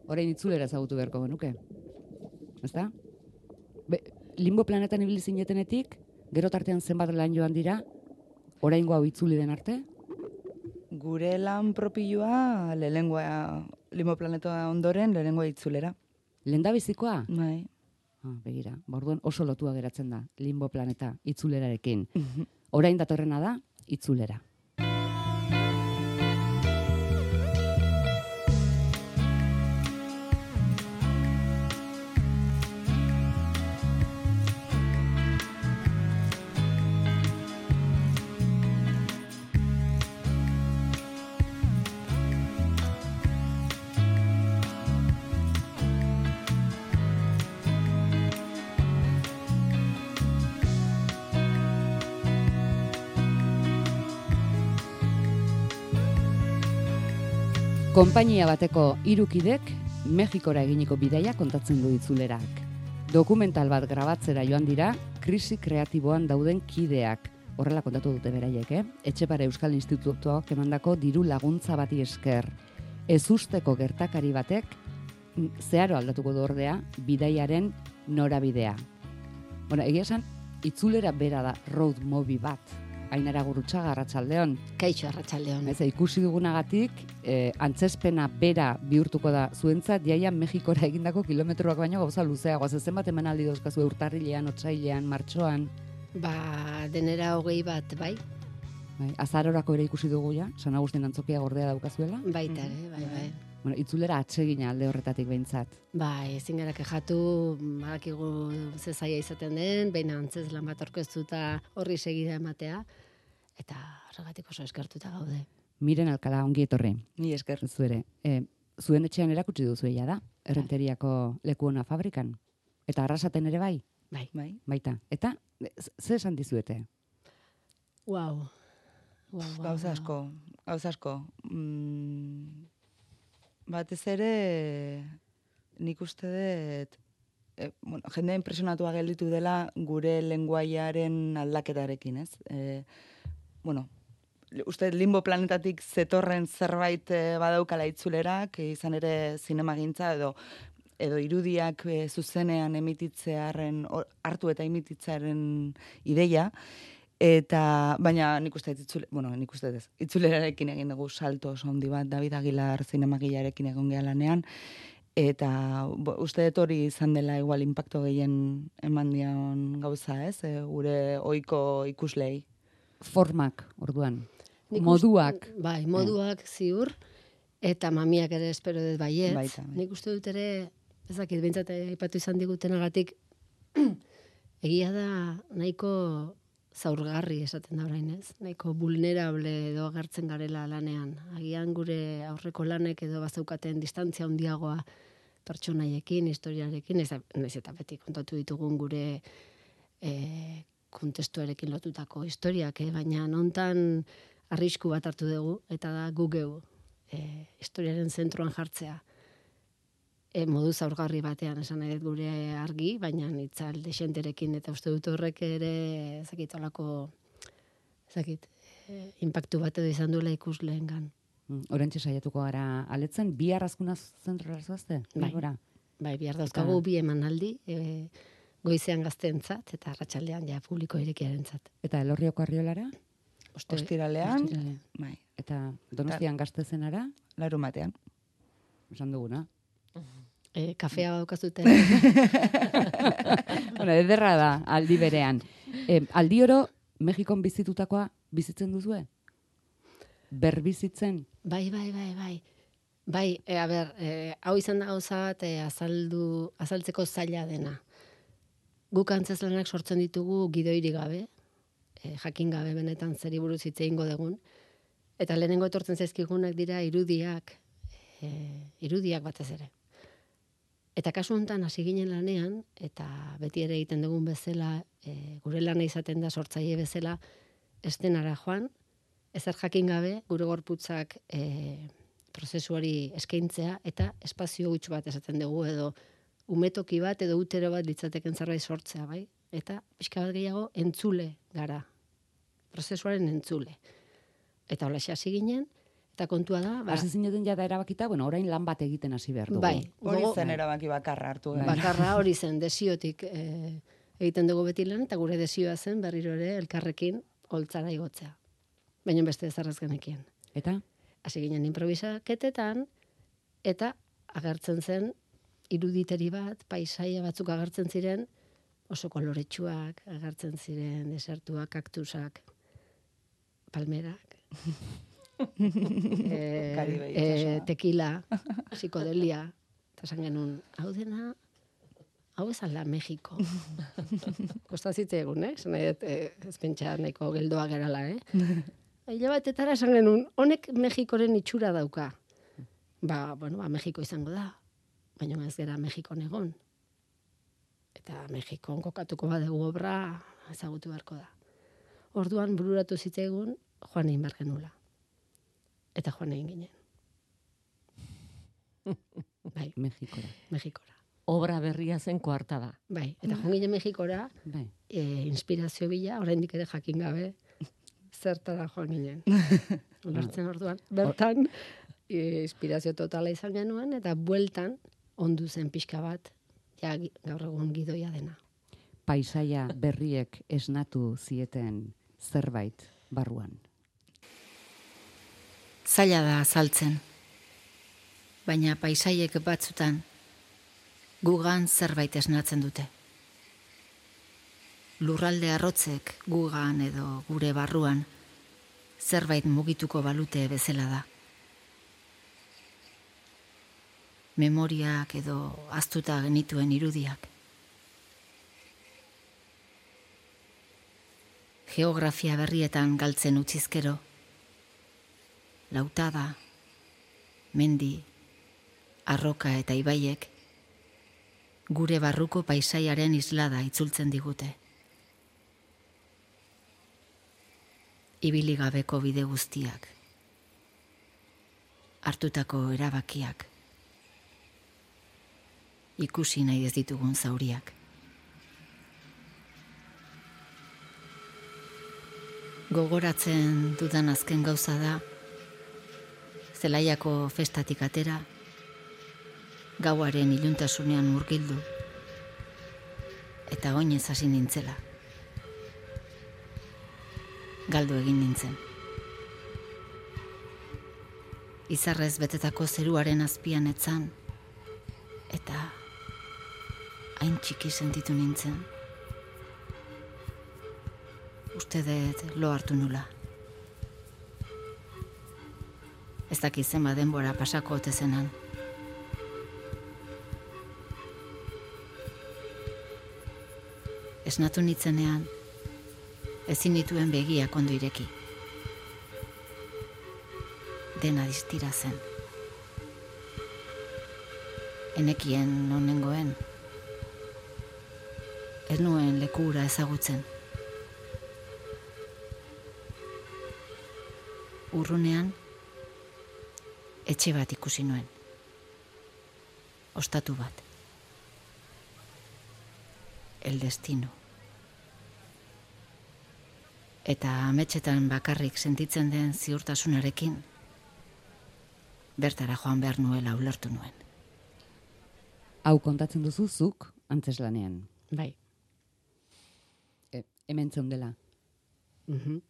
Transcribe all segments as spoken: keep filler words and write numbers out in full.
orain itzulera ezagutu beharko genuke. Ezta? Be, limbo planetan ibili zinetenetik, gero tartean zenbat lan joan dira, oraingo hau itzuli den arte? Gure lan propioa lehengoa limbo planeta ondoren lehengoa itzulera. Lehendabizikoa? Bai. Ah, begira, orduan oso lotua geratzen da limbo planeta itzulerarekin. Orain datorrena da itzulera. Konpainia bateko hiru kidek Mexikora eginiko bidaia kontatzen du itzulerak. Dokumental bat grabatzera joan dira, krisi kreatiboan dauden kideak. Horrela kontatu dute beraiek, eh? Etxepare Euskal Institutuak emandako diru laguntza bati esker. Ezusteko gertakari batek zeharo aldatuko du ordea bidaiaren norabidea. Bueno, egia esan, itzulera bera da road movie bat. Ainara Gurrutxaga, Arratsaldeon. Kaixo, Arratsaldeon. Ez, ikusi dugunagatik, eh, antzespena bera bihurtuko da zuentzat, jaia Mexikora egindako kilometroak baino gauza luzeagoa. Zenbat emanaldi dauzkazu urtarrilean, otsailean, martxoan? Ba, denera hogei bat, bai? Bai, azarorako ere ikusi dugu ja, San Agustin antzokia gordea daukazuela. Baita ere, bai, bai. Bueno, itzulera atsegina alde horretatik behintzat. Bai, ezin gara kexatu, badakigu ze zaila izaten den, baina antzez lan bat aurkeztuta horri segida ematea, eta horregatik oso eskertuta gaude. Miren Alkala, ongi etorri. Ni esker. Zuere, e, zuen etxean erakutsi duzu ja da, Errenteriako leku ona fabrikan. Eta Arrasaten ere bai? Bai. Bai. Baita. Eta, ze esan dizuete? Wow. Wow, wow, Gauza asko, gauza asko. Mm, batez ere, nik uste dut, e, bueno, jende impresionatua gelditu dela gure lenguaiaren aldaketarekin, ez? E, bueno, uste limbo planetatik zetorren zerbait e, badaukala itzulerak, e, izan ere zinemagintza edo edo irudiak e, zuzenean emititzearen, or, hartu eta emititzearen ideia, eta baina nik uste itzule, bueno, nik uste ez, itzulerarekin egin dugu salto oso handi bat, David Aguilar zinemagilarekin egon geha lanean, eta bo, uste dut hori izan dela igual impacto gehien eman dion gauza, ez? E, gure ohiko ikuslei. Formak, orduan. Nik Moduak. Uste, bai, moduak ziur, eta mamiak ere espero dut baiet. Baita, bai. Nik uste dut ere, ezakit, behintzat aipatu izan digutenagatik, egia da nahiko zaurgarri esaten da orain, ez? Nahiko vulnerable edo agertzen garela lanean. Agian gure aurreko lanek edo bazaukaten distantzia handiagoa pertsonaiekin, historiarekin, ez, ez eta beti kontatu ditugun gure e, kontestuarekin lotutako historiak, eh? Baina nontan arrisku bat hartu dugu, eta da gu geu e, historiaren zentroan jartzea. E, modu zaurgarri batean esan nahi dut gure argi, baina itzal desenterekin, eta uste dut horrek ere ezakit olako ezakit, e, impactu bat edo izan duela ikusleengan. Orentxe saiatuko gara aletzen, bi arrazkuna zentrora zoazte? Bai, bai, bihar dauzkagu bi emanaldi, e, goizean gazteentzat eta arratsaldean ja publiko irekiarentzat. Eta Elorrioko Arriolara? Oste, Ostiralean, Ostiralean. bai, Eta Donostian Gaztezenara? larumatean. Esan duguna. E, kafea daukazute. Bueno, ederra da, aldi berean. E, aldi oro, Mexikon bizitutakoa bizitzen duzue? Berbizitzen? Bai, bai, bai, bai. Bai, e, a ber, e, hau izan da gauza bat e, azaldu, azaltzeko zaila dena. Guk antzeslanak sortzen ditugu gidoiri gabe, e, jakin gabe benetan zeri buruz hitz egingo dugun, eta lehenengo etortzen zaizkigunak dira irudiak, e, irudiak batez ere. Eta kasu honetan hasi ginen lanean, eta beti ere egiten dugun bezala, e, gure lana izaten da sortzaile bezala, estenara joan, ezer jakin gabe, gure gorputzak e, prozesuari eskaintzea, eta espazio huts bat esaten dugu, edo umetoki bat, edo utero bat litzateken zerbait sortzea, bai? Eta pixka bat gehiago entzule gara, prozesuaren entzule. Eta holaxe hasi ginen, Eta kontua da, ba, Hasi zineten jada erabakita, bueno, orain lan bat egiten hasi behar dugu. bai, Hori gogo- zen erabaki bakarra hartu. genuen. bakarra hori zen desiotik eh, egiten dugu beti lan, eta gure desioa zen berriro ere elkarrekin holtzara igotzea. Baina beste ezarrez genekien. Eta? Hasi ginen improvisaketetan, eta agertzen zen iruditeri bat, paisaia batzuk agertzen ziren, oso koloretsuak, agertzen ziren desertuak, kaktusak, palmerak, eh, Karibe eh, itsasoa. tequila, psikodelia, eta esan genuen, hau dena, hau ez ala Mexiko. Kosta zitzaigun, eh? Esan nahi dut, eh, ez pentsa nahiko geldoa gerala, eh? Hila batetara esan genuen, honek Mexikoren itxura dauka. Ba, bueno, ba, Mexiko izango da, baina ez gera Mexikon egon. Eta Mexikon kokatuko badugu obra ezagutu beharko da. Orduan bururatu zitzaigun joan egin behar genula. Eta joan egin ginen. Bai, Mexikora. Mexikora. Obra berria zen koartada. Bai, eta joan ginen Mexikora, Bai. e, inspirazio bila, oraindik ere jakin gabe, zertara joan ginen. Ulertzen orduan, bertan, e, inspirazio totala izan genuen, eta bueltan, ondu zen pixka bat, ja gi- gaur egun gidoia dena. Paisaia berriek esnatu zieten zerbait barruan. Zaila da azaltzen, baina paisaiek batzutan gugan zerbait esnatzen dute. Lurralde arrotzek gugan edo gure barruan zerbait mugituko balute bezala da. Memoriak edo ahaztuta genituen irudiak. Geografia berrietan galtzen utzizkero, lautada, mendi, arroka eta ibaiek, gure barruko paisaiaren islada itzultzen digute. Ibili gabeko bide guztiak, hartutako erabakiak, ikusi nahi ez ditugun zauriak. Gogoratzen dudan azken gauza da, Zelaiako festatik atera, gauaren iluntasunean murgildu, eta oinez hasi nintzela. Galdu egin nintzen. Izarrez betetako zeruaren azpian etzan, eta hain txiki sentitu nintzen. Uste dut lo hartu nula. Ez dakit zenba denbora pasako ote zenan. Esnatu nitzenean, ezin dituen begiak ondo ireki. Dena distira zen. Enekien non nengoen. Ez nuen lekura ezagutzen. Urrunean, etxe bat ikusi nuen. Ostatu bat. El destino. Eta ametsetan bakarrik sentitzen den ziurtasunarekin, bertara joan behar nuela ulertu nuen. Hau kontatzen duzu zuk antzeslanean. Bai. E, hemen zeundela. Mhm.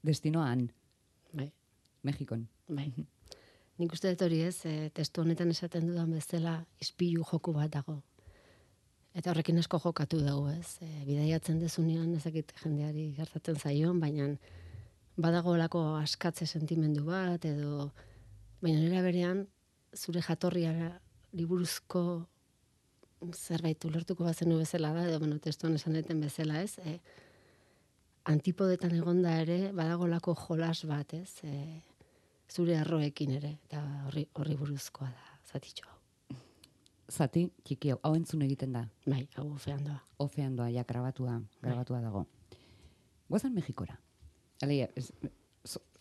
Destinoan, Bai. Mexikon. Bai. Nik uste dut hori ez, e, testu honetan esaten dudan bezala ispilu joku bat dago. Eta horrekin asko jokatu dugu ez. E, bidaiatzen dezunean ezakit jendeari gertatzen zaion, baina badagoelako askatze sentimendu bat, edo baina nera berean zure jatorriara liburuzko zerbait ulertuko bazenu bezala da, edo bueno, testuan esan deten bezala ez, e, antipodetan egonda ere badagolako jolas bat, ez? E, zure arroekin ere, eta horri, horri buruzkoa da, zatitxo hau. Zati, txiki hau, hau entzun egiten da. Bai, hau ofean doa. Ofean doa, ja, grabatua, grabatua dago. Guazan Mexikora. Aleia, ez,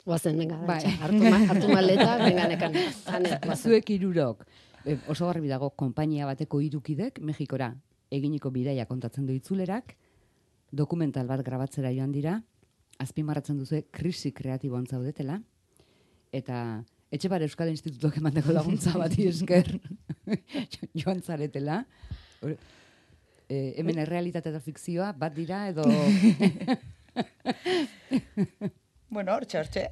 Guazen, venga, Bai. dantxa, hartu, ma, hartu maleta, venga, nekan. Ane, guazen. zuek hirurok, e, oso garbi dago, konpainia bateko hirukidek Mexikora eginiko bidaia kontatzen du itzulerak, dokumental bat grabatzera joan dira, azpimarratzen duzue krisi kreatiboan zaudetela, eta Etxepare Euskal Institutuak emandako laguntza bati esker joan zaretela. E, hemen errealitate eta fikzioa bat dira edo... Bueno, hortxe, hortxe.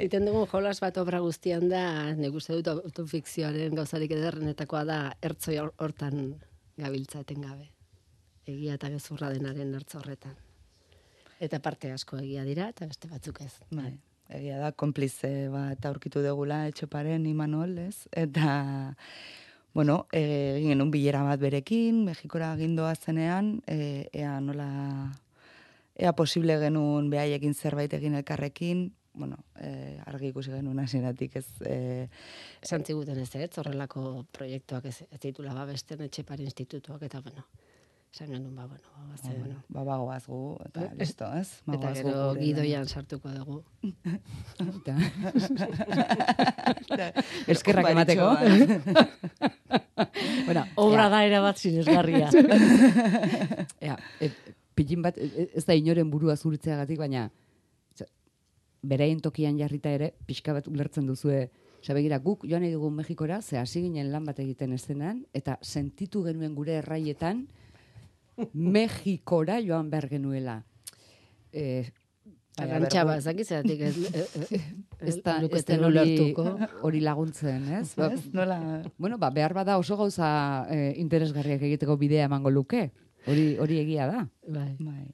Iten dugun jolas bat obra guztian da, nik uste dut autofikzioaren gauzarik ederrenetakoa da, ertzoi hortan gabiltza etengabe. Egia eta gezurra denaren ertzo horretan. Eta parte asko egia dira, eta beste batzuk ez. Bai, egia da, konplize bat aurkitu degula Etxeparen Imanol, ez? Eta, bueno, egin genuen bilera bat berekin, Mexikora gindoa zenean, e, ea nola... Ea posible genuen behaiekin zerbait egin elkarrekin, bueno, eh, argi ikusi genuen hasieratik ez... Eh, Esan ziguten ez, ez, horrelako proiektuak ez, ez ditula babesten Etxepare Institutuak, eta bueno, esan genuen, ba, bueno, ba, ze, bueno, ba, bagoaz gu, eta listo, ez? Eta Bagoaz gu gero gure gidoian sartuko dugu. Eskerrak emateko. Bueno, obra da erabat sinesgarria. Ea, e, pilin bat, ez da inoren burua zuritzeagatik, baina beraien tokian jarrita ere, pixka bat ulertzen duzue, sabegira, guk joan nahi dugu Mexikora, ze hasi ginen lan bat egiten eszenan, eta sentitu genuen gure erraietan, Mexikora joan behar genuela. E, Arantxaba, zakizeratik ez, ez da luketen ulertuko. Hori laguntzen, ez? Ba, Ez, nola... bueno, ba, behar bada oso gauza eh, interesgarriak egiteko bidea emango luke. Hori hori egia da. Bai. Bai.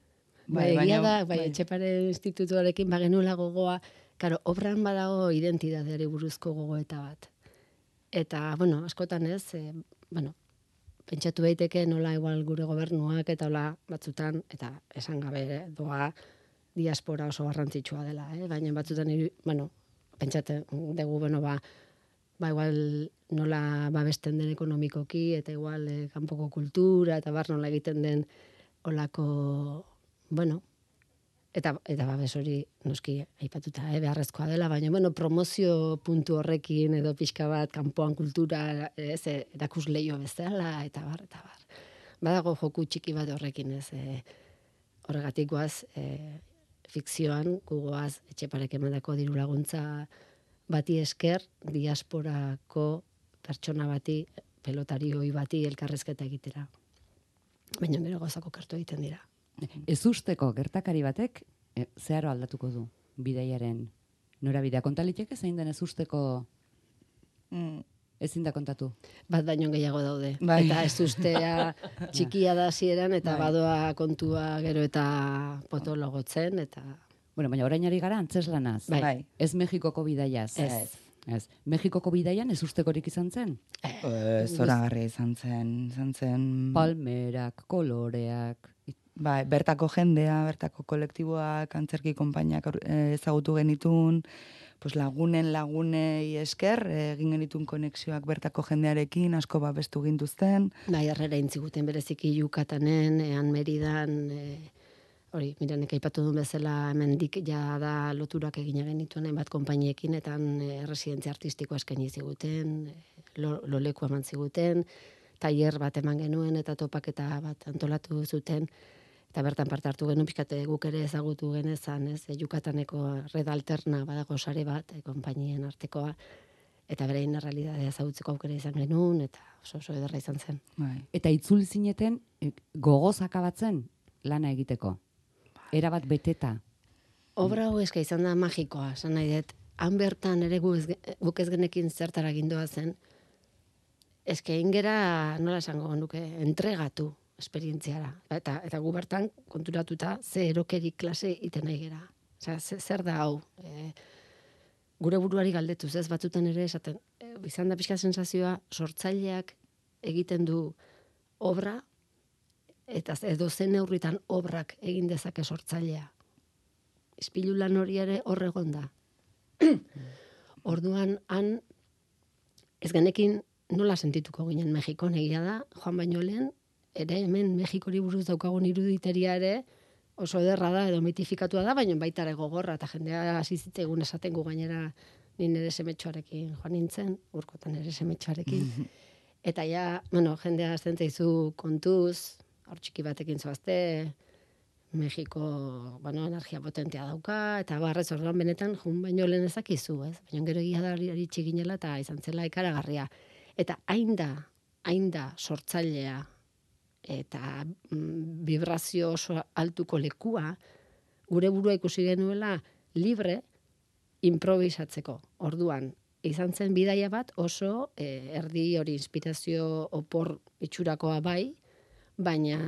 Bai, egia da, bai, Etxepare Institutuarekin bagenula gogoa, karo, obran badago identitateari buruzko gogoeta bat. Eta, bueno, askotan ez, e, bueno, pentsatu daiteke nola igual gure gobernuak eta hola batzutan, eta esan gabe eh, doa diaspora oso garrantzitsua dela, eh? Baina batzutan, bueno, pentsatzen dugu, bueno, ba, ba igual nola babesten den ekonomikoki, eta igual eh, kanpoko kultura, eta bar nola egiten den olako, bueno, eta, eta babes hori noski aipatuta, eh, beharrezkoa dela, baina, bueno, promozio puntu horrekin, edo pixka bat, kanpoan kultura, ez, erakus leio bezala, eta bar, eta bar. Badago joku txiki bat horrekin, ez, eh, horregatik goaz, eh, fikzioan, gugoaz, Etxeparek emandako diru laguntza bati esker, diasporako pertsona bati, pelotarioi bati elkarrezketa egitera. Baina gero gozako kartu egiten dira. Ez usteko gertakari batek, e, zeharo aldatuko du bidaiaren norabidea. Kontaliteke zein den ez usteko Mm. ezin da kontatu. Bat baino gehiago daude. Bai. Eta ez ustea txikia da hasieran eta Bai. badoa kontua gero eta potologotzen, eta... Bueno, baina orain ari gara antzeslanaz. Bai. Bai. Ez Mexikoko bidaiaz. Ez. Ez. Mexikoko bidaian ez ustekorik izan zen? Eh, zoragarria izan zen, izan zen... Palmerak, koloreak... Bai, bertako jendea, bertako kolektiboak, antzerki konpainiak eh, ezagutu genitun, pues lagunen lagunei esker, eh, egin genitun konexioak bertako jendearekin, asko babestu gintuzten. Bai, harrera intziguten bereziki Yukatanen, ean Meridan, e, hori, miranek aipatu duen bezala hemendik ja da loturak egina genituen hainbat konpainiekin, eta e, residentzia artistikoa eskaini ziguten, e, lo, loleku eman ziguten, tailer bat eman genuen eta topaketa bat antolatu zuten, eta bertan parte hartu genuen pixkate guk ere ezagutu genezan, ez, e, Yukataneko red alterna badago sare bat, e, konpainien artekoa, eta berein realitatea ezagutzeko aukera izan genuen, eta oso oso ederra izan zen. Bai. Eta itzuli zineten e, gogoz akabatzen lana egiteko. Erabat beteta. Obra hau eska izan da magikoa, esan nahi dut, han bertan ere gu ez, guk ez genekin zertara gindoa zen, eske ingera, nola esango nuke, entregatu esperientziara. Eta, eta gu bertan konturatuta ze erokeri klase iten nahi gera. Osea, ze- zer da hau? E, gure buruari galdetuz, ez batzutan ere esaten, e, izan da pixka sensazioa, sortzaileak egiten du obra, eta edo zen neurritan obrak egin dezake sortzailea. Ispilu lan hori ere hor egon da. Orduan, han, ez genekin nola sentituko ginen Mexikon, egia da, joan baino lehen, ere hemen Mexikori buruz daukagun iruditeria ere oso ederra da, edo mitifikatua da, baina baita ere gogorra, eta jendea hasi zitzegun esaten gu gainera ni nire semetxoarekin joan nintzen, urkotan nire semetxoarekin. Eta ja, bueno, jendea azten zaizu kontuz, hor txiki batekin zoazte, Mexiko, bueno, energia potentea dauka, eta barrez orduan benetan, jun baino lehen ezakizu, ez? Baina gero egia da iritsi ginela eta izan zela ikaragarria. Eta hain da, hain da sortzailea eta mm, vibrazio oso altuko lekua, gure burua ikusi genuela libre improvisatzeko. Orduan, izan zen bidaia bat oso eh, erdi hori inspirazio opor itxurakoa bai, baina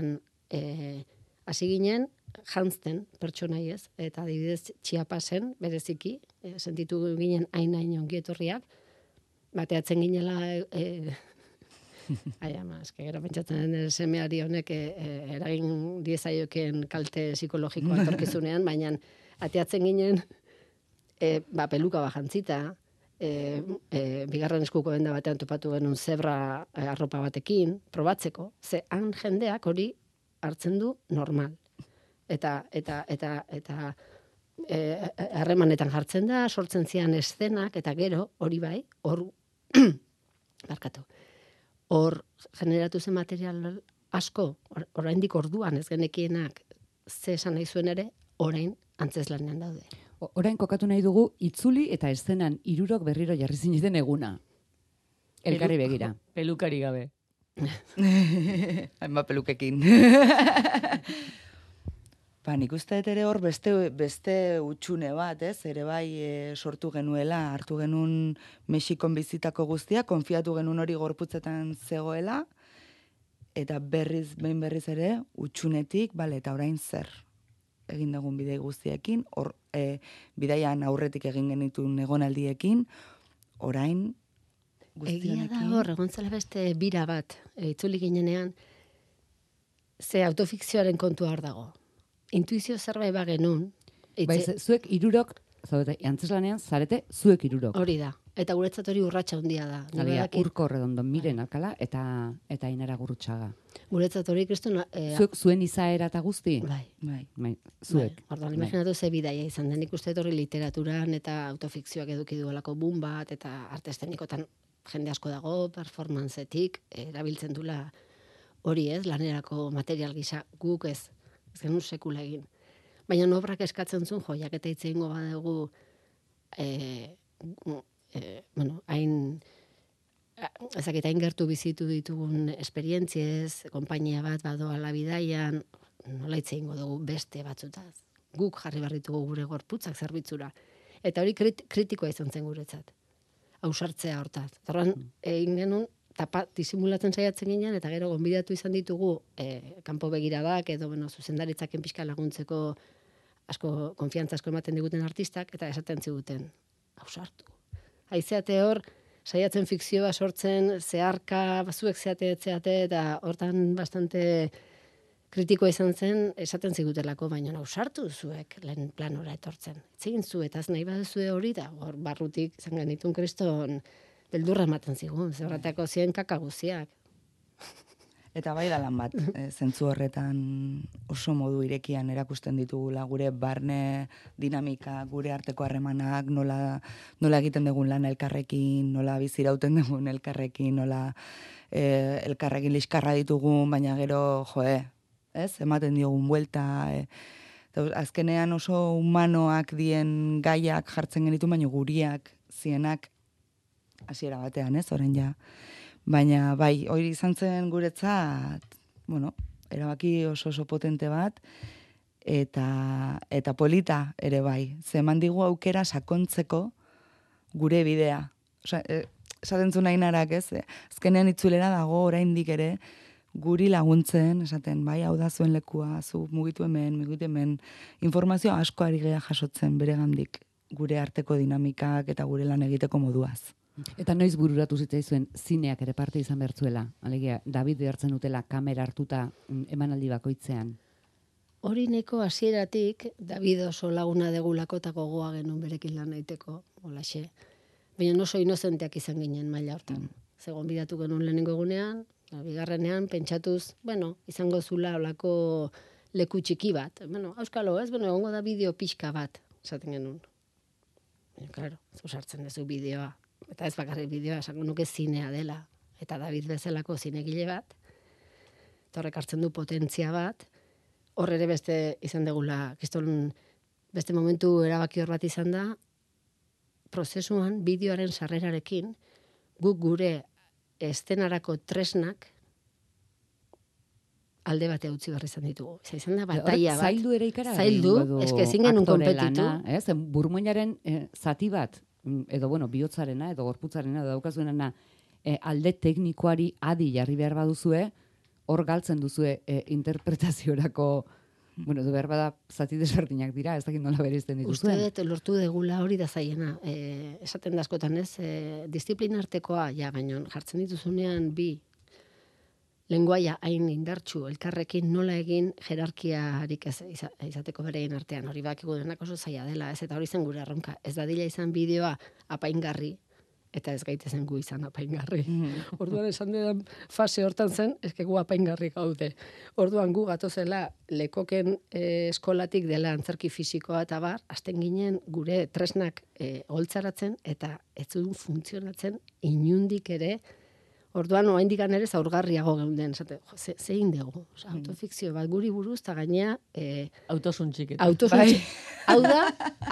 eh, hasi ginen jantzten pertsonai ez, eta adibidez Chiapasen bereziki, e, sentitu ginen hain hain ongi etorriak, bateatzen ginela, e, ai ama, eske gero pentsatzen den semeari honek e, eragin diezaioken kalte psikologikoa etorkizunean, baina ateatzen ginen e, ba, peluka bajantzita, e, e, bigarren eskuko benda batean topatu genuen zebra e, arropa batekin, probatzeko, ze han jendeak hori hartzen du normal. Eta eta eta eta eh harremanetan jartzen da, sortzen zian eszenak eta gero hori bai, hor barkatu. Hor generatu zen material asko, or, oraindik orduan ez genekienak ze esan nahi zuen ere, orain antzeslanean daude. O- Orain kokatu nahi dugu itzuli eta eszenan hirurok berriro jarri zineten eguna. Elkarri begira. Pelukari gabe. Hainbat pelukekin. Ba, nik uste dut ere hor beste, beste utxune bat, ez? Ere bai e, sortu genuela, hartu genuen Mexikon bizitako guztia, konfiatu genuen hori gorputzetan zegoela, eta berriz, behin berriz ere, utxunetik, bale, eta orain zer egin dugun bidei guztiekin, hor, e, bidaian aurretik egin genituen egonaldiekin, orain Egia guztionekin. da hor, egon zela beste bira bat, e, itzuli ginenean, ze autofikzioaren kontua hor dago. Intuizio zerbait ba genuen, Bai, ze- zuek hirurok, zaudete, antzeslanean zarete zuek hirurok. hori da. Eta guretzat hori urratsa handia da. Nik Alegia, badakit, Urko Redondo, Miren Alkala eta eta Ainara Gurrutxaga. guretzat hori kriston... E, Zuek zuen izaera eta guzti? bai. Bai. Bai, zuek. Bai, orduan, Bai. imaginatu ze bidaia izan den, nik uste dut hori literaturan eta autofikzioak eduki duelako boom bat, eta arte eszenikotan jende asko dago, performancetik, erabiltzen dula hori ez, lanerako material gisa, guk ez, ez genuen sekula egin. Baina obrak eskatzen zuen, jo, jaketa hitz egingo badugu, e, e, bueno, hain, ezakit, hain gertu bizitu ditugun esperientziez, konpainia bat badoala bidaian, nola hitz egingo dugu beste batzutaz. Guk jarri barritugu gure gorputzak zerbitzura. Eta hori krit, kritikoa izan zen guretzat. Ausartzea hortaz. Zorran, egin genuen, tapa, disimulatzen saiatzen ginen, eta gero gonbidatu izan ditugu e, kanpo begiradak, edo bueno, zuzendaritzaken pixka laguntzeko asko, konfiantza asko ematen diguten artistak, eta esaten ziguten, ausartu. Haizeate hor, saiatzen fikzioa sortzen, zeharka, bazuek zeate, etzeate, eta hortan bastante kritikoa izan zen, esaten zigutelako, baina ausartu zuek lehen planora etortzen. Etzegin zu, eta ez nahi baduzue hori da, hor barrutik izan genitun kriston beldurra ematen zigun, zerratako ziren kakaguziak. Eta bai da lan bat, e, zentzu horretan oso modu irekian erakusten ditugula gure barne dinamika, gure arteko harremanak, nola, nola egiten dugun lan elkarrekin, nola bizirauten dugun elkarrekin, nola e, elkarrekin liskarra ditugun, baina gero, joe, ez, ematen diogun buelta, e, eta azkenean oso humanoak dien gaiak jartzen genitu, baina guriak, zienak, hasiera batean, ez, orain ja. Baina, bai, hori izan zen guretzat, bueno, erabaki oso oso potente bat, eta, eta polita ere bai. Ze eman digu aukera sakontzeko gure bidea. Osa, e, esaten zu nahi narak, ez? E, azkenean itzulera dago oraindik ere, guri laguntzen, esaten, bai, hau da zuen lekua, zu mugitu hemen, mugitu hemen, informazio asko ari gea jasotzen beregandik gure arteko dinamikak eta gure lan egiteko moduaz. Eta noiz bururatu zitzaizuen zineak ere parte izan bertzuela? Alegia, David behartzen dutela kamera hartuta mm, emanaldi bakoitzean. Hori neko hasieratik David oso laguna degulako eta gogoa genuen berekin lan egiteko, holaxe. Baina oso inozenteak izan ginen maila hortan. Zegon bidatu genuen lehenengo egunean, bigarrenean, pentsatuz, bueno, izango zula olako leku txiki bat. Bueno, auskalo, ez? Bueno, egongo da bideo pixka bat, esaten genuen. Baina, klaro, zu sartzen duzu bideoa. Eta ez bakarrik bideoa, esango nuke zinea dela. Eta David bezalako zinegile bat, eta horrek hartzen du potentzia bat, hor ere beste izan degula, kriston beste momentu erabaki hor bat izan da, prozesuan bideoaren sarrerarekin, guk gure estenarako tresnak alde bate utzi behar izan ditugu. Eza izan da bataia bat. Zaildu ere ikara? Zaildu, eske ezin genuen konpetitu. Ez, burmuinaren eh, zati bat, edo bueno, bihotzarena, edo gorputzarena, edo daukazuenena, eh, alde teknikoari adi jarri behar baduzue, hor galtzen duzue eh, interpretaziorako, bueno, edo behar bada zati desberdinak dira, ez dakit nola bereizten dituzuen. Uste dut lortu degula hori da zaiena. Eh, esaten da askotan ez, eh, disiplina artekoa, ja, baino jartzen dituzunean bi lenguaia hain indartsu, elkarrekin nola egin jerarkiarik ez izateko bereien artean. Hori bakigu denak oso zaila dela, ez, eta hori zen gure erronka. Ez dadila izan bideoa apaingarri, eta ez gaitezen gu izan apaingarri. Mm. Orduan esan den fase hortan zen, ezke gu apaingarri gaude. Orduan gu gatozela lekoken eh, eskolatik dela antzerki fisikoa eta bar, hasten ginen gure tresnak eh, holtzaratzen, eta ez zuen funtzionatzen inundik ere. Orduan, oraindik ere zaurgarriago geunden, esate, jo, ze, zein dugu, oza, autofikzio bat guri buruz, eta gainea... E, autosuntxiketa. Autosuntxiketa. Hau da,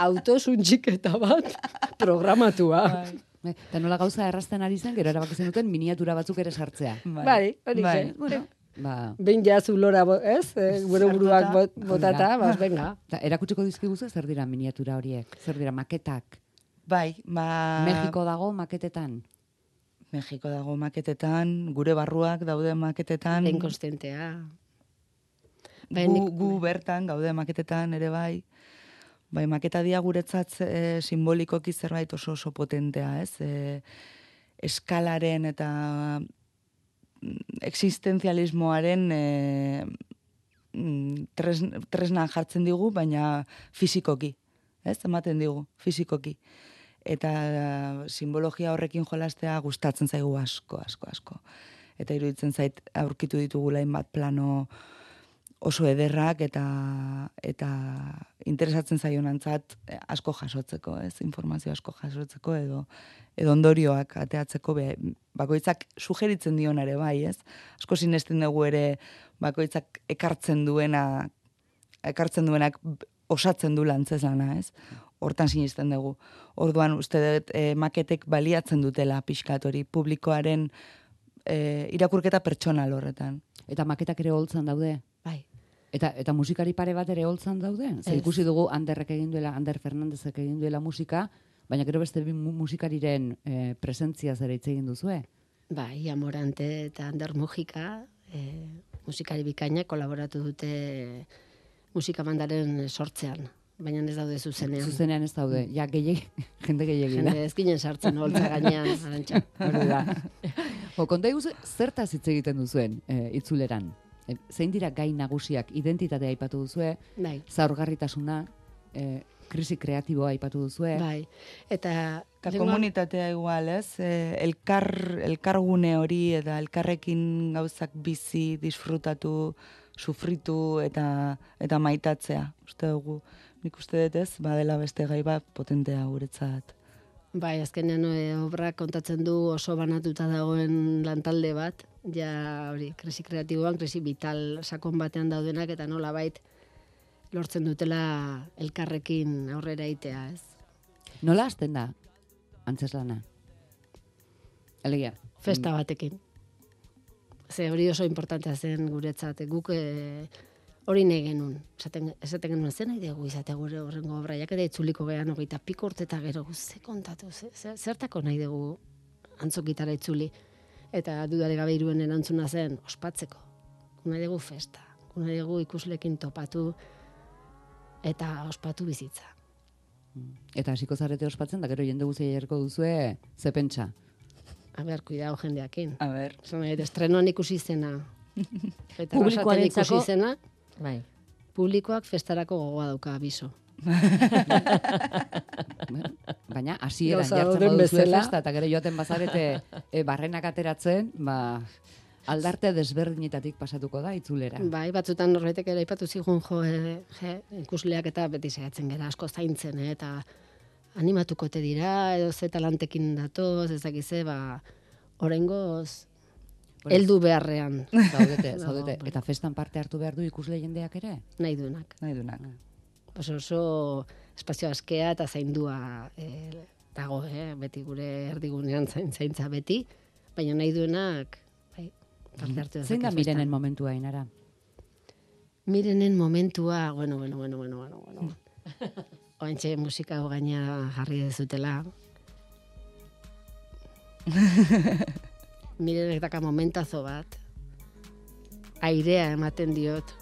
autosuntxiketa bat programatua. Bai. Eta nola gauza errazten ari zen, gero erabaki zen duten miniatura batzuk ere sartzea. Bai, hori bai. zen. Bueno, ba... Behin jazu lora, ez? E, gure buruak bot, botata, bas, venga. Ta, erakutsiko dizkiguzu zer dira miniatura horiek? Zer dira maketak? Bai, ba... Mexiko dago maketetan? Mexiko dago maketetan, gure barruak daude maketetan. Lehen konstientea. Gu, gu bertan gaude maketetan ere bai. Bai, maketa dia guretzat e, simbolikoki zerbait oso oso potentea, ez? E, eskalaren eta existenzialismoaren e, tres, tresna jartzen digu, baina fisikoki, ez? Ematen digu, fisikoki. Eta simbologia horrekin jolastea gustatzen zaigu asko, asko, asko. Eta iruditzen zait aurkitu ditugula hainbat plano oso ederrak eta eta interesatzen zaionantzat asko jasotzeko, ez? Informazio asko jasotzeko edo edo ondorioak ateatzeko be, bakoitzak sugeritzen dion ere bai, ez? Asko sinesten dugu ere bakoitzak ekartzen duena ekartzen duenak osatzen du lantzezlana, ez? Hortan sinisten dugu. Orduan, uste dut, e, maketek baliatzen dutela pixkat hori publikoaren e, irakurketa pertsonal horretan. Eta maketak ere holtzan daude? Bai. Eta, eta musikari pare bat ere holtzan daude? Zer ikusi dugu Anderrek egin duela, Ander Fernandezek egin duela musika, baina gero beste bi musikariren e, presentzia zera hitz egin duzue? Bai, Amorante eta Ander Mujika, e, musikari bikaina kolaboratu dute musika bandaren sortzean. Baina ez daude zuzenean. Zuzenean ez daude. Ja, gehiagi, jende gehiagi da. Jende ez ginen sartzen holtza gainean, Arantxa. Hori da. Jo, konta iguzu, zertaz hitz egiten duzuen e, itzuleran? E, zein dira gai nagusiak, identitatea aipatu duzue, bai. Zaurgarritasuna, e, krisi kreatiboa aipatu duzue. Bai. Eta, eta komunitatea igual, ez? E, elkar, elkargune hori eta elkarrekin gauzak bizi, disfrutatu, sufritu eta eta maitatzea. Uste dugu, nik uste dut ez, badela beste gai bat potentea guretzat. Bai, azkenean e, obra kontatzen du oso banatuta dagoen lantalde bat, ja hori, krisi kreatiboan, krisi vital sakon batean daudenak, eta nola bait lortzen dutela elkarrekin aurrera itea, ez? Nola hasten da, antzeslana? Alegia. Festa batekin. Ze hori oso importantea zen guretzat, guk e, hori nahi genuen. Esaten, esaten genuen zen nahi dugu izate gure horrengo obraiak eta itzuliko gehan hogeita piko urte eta gero, ze kontatu, ze, ze, zertako nahi dugu antzokitara itzuli. Eta dudare gabe iruen erantzuna zen, ospatzeko. Nahi dugu festa, nahi dugu ikuslekin topatu eta ospatu bizitza. Eta hasiko zarete ospatzen, da gero jende guztia jarriko duzue, ze pentsa? A ber, kuidao jendeakin. A ber. Zona, estrenoan ikusi zena. Eta Publikoaren ikusi zena. Bai. Publikoak festarako gogoa dauka abiso. Baina, hasieran Gauza jartzen dauden baduzue bezala. festa, eta gero joaten bazarete e, barrenak ateratzen, ba, aldarte desberdinetatik pasatuko da itzulera. Bai, batzutan norbaitek ere aipatu zigun jo, e, je, ikusleak eta beti saiatzen gara asko zaintzen, eh, eta animatuko te dira, edo ze talantekin datoz, ez dakize, ba, oraingoz heldu beharrean. Zaudete, Dago, zaudete. bai. Eta festan parte hartu behar du ikusle jendeak ere? Nahi duenak. Nahi dunak. Oso oso espazio askea eta zaindua eh, dago, eh? Beti gure erdigunean zain, zaintza beti, baina nahi duenak bai, parte hartu Zein da dezake Mirenen festan. momentua, Ainara? Mirenen momentua, bueno, bueno, bueno, bueno, bueno, bueno. Oantxe musika hau gaina jarri dezutela. Mirenek daka momentazo bat. Airea ematen diot.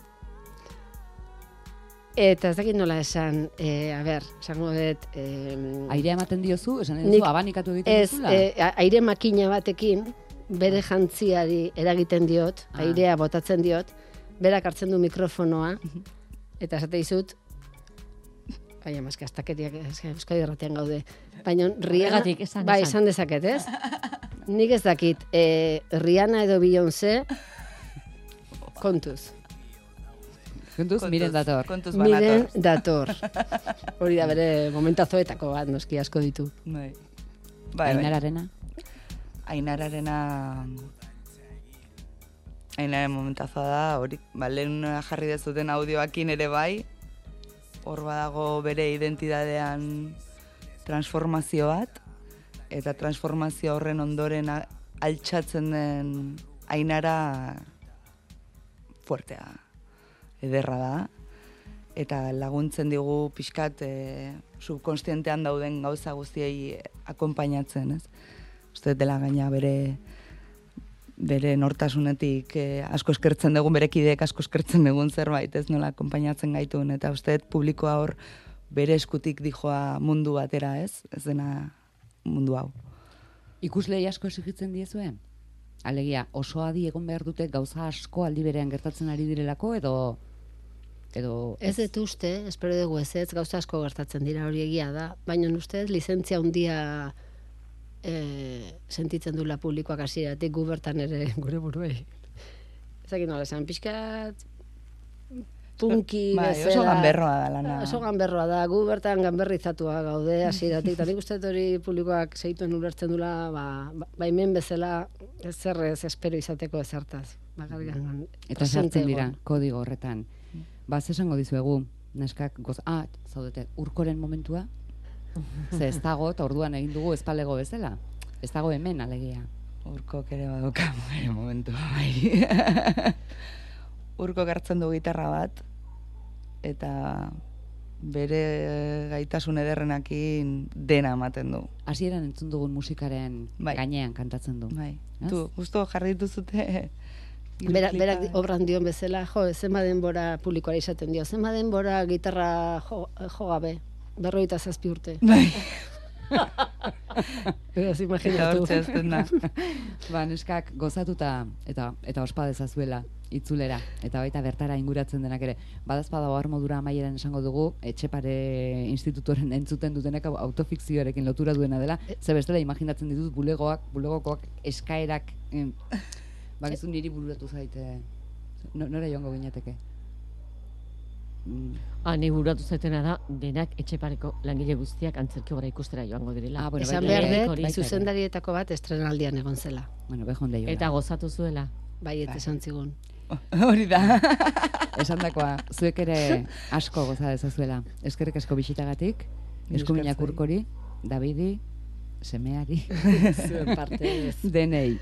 Eta ez dakit nola esan, eh, a ber, esango dut... Eh, Airea ematen diozu, esan Nik- duzu, abanikatu egiten ez, duzula? eh, a- aire makina batekin, bere jantziari eragiten diot, Ah. airea botatzen diot, berak hartzen du mikrofonoa, eta esate dizut, baina maske, astakeriak Euskadi Irratian gaude, baina Rihanna, Horregatik, esan, bai, esan. esan dezaket, ez? Nik ez dakit, eh, Rihanna edo Beyoncé, kontuz. Kontuz, miren dator. Kontuz Miren banator. dator. Hori da bere momentazoetako bat, noski asko ditu. Bai. Bai, bai. Ainararena? Ainararena... Ainaren momentazoa da, hori, ba, lehen jarri dezuten audioakin ere bai, hor badago bere identidadean transformazio bat, eta transformazio horren ondoren a- altxatzen den Ainara fuertea, ederra da, eta laguntzen digu pixkat e, subkonstientean dauden gauza guztiei akonpainatzen, ez? Uste dela gaina bere bere nortasunetik eh, asko eskertzen dugun, bere kideek asko eskertzen dugun zerbait, ez nola akonpainatzen gaituen, eta uste dut publikoa hor bere eskutik dijoa mundu batera, ez? Ez dena mundu hau. Ikuslei asko exigitzen diezue? Alegia, oso adi egon behar dute gauza asko aldi berean gertatzen ari direlako, edo... edo Ez dut uste, espero dugu ez ez, gauza asko gertatzen dira hori egia da, baina uste lizentzia handia e, sentitzen dula publikoak hasieratik gu bertan ere gure buruei. Ezakin nola esan, pixkat punki Bai, bezala. oso ganberroa da lana. Oso ganberroa da, gu bertan ganberrizatua gaude hasieratik, eta nik uste dut hori publikoak segituen ulertzen dula, ba, ba, baimen bezala zer ez espero izateko ezertaz. Bakarrikan Eta sartzen dira, kodigo horretan. Ba, ze esango dizuegu, neskak goz... Ah, zaudete, urkoren momentua? Ze ez dago, eta orduan egin dugu espalego bezala. Ez dago hemen, alegia. Urkok ere baduka bere momentua, bai. Urkok hartzen du gitarra bat, eta bere gaitasun ederrenakin dena ematen du. Hasieran entzun dugun musikaren Bai. gainean kantatzen du. Bai. Ez? Tu, justo jarri dituzute... Berak, berak bideoklipa. obran dion bezala, jo, zenba denbora publikoari izaten dio, zenba denbora gitarra jo, jo gabe, berroita zazpi urte. Bai, Beraz, eta imaginatu. hortxe ezten da. Ba, neskak gozatuta eta eta ospa dezazuela itzulera eta baita bertara inguratzen denak ere. Badazpada ohar modura amaieran esango dugu Etxepare institutoren entzuten dutenak hau autofikzioarekin lotura duena dela. Ze bestela imaginatzen ditut bulegoak, bulegokoak eskaerak em, bakizu niri bururatu zaite. No, nora joango ginateke? Mm. Ah, ni buratu zaitena da, denak Etxepareko langile guztiak antzerki gora ikustera joango direla. Ah, bueno, Esan baita behar ere, dut, baita ere. zuzendarietako bat estrenaldian egon zela. Bueno, bejon deiola. Eta gozatu zuela. Bai, eta esan zigun. Hori da. Esandakoa, zuek ere asko goza dezazuela. Eskerrik asko bisitagatik, eskuminak zuei. urkori, Davidi, semeari, Zuen partez. denei.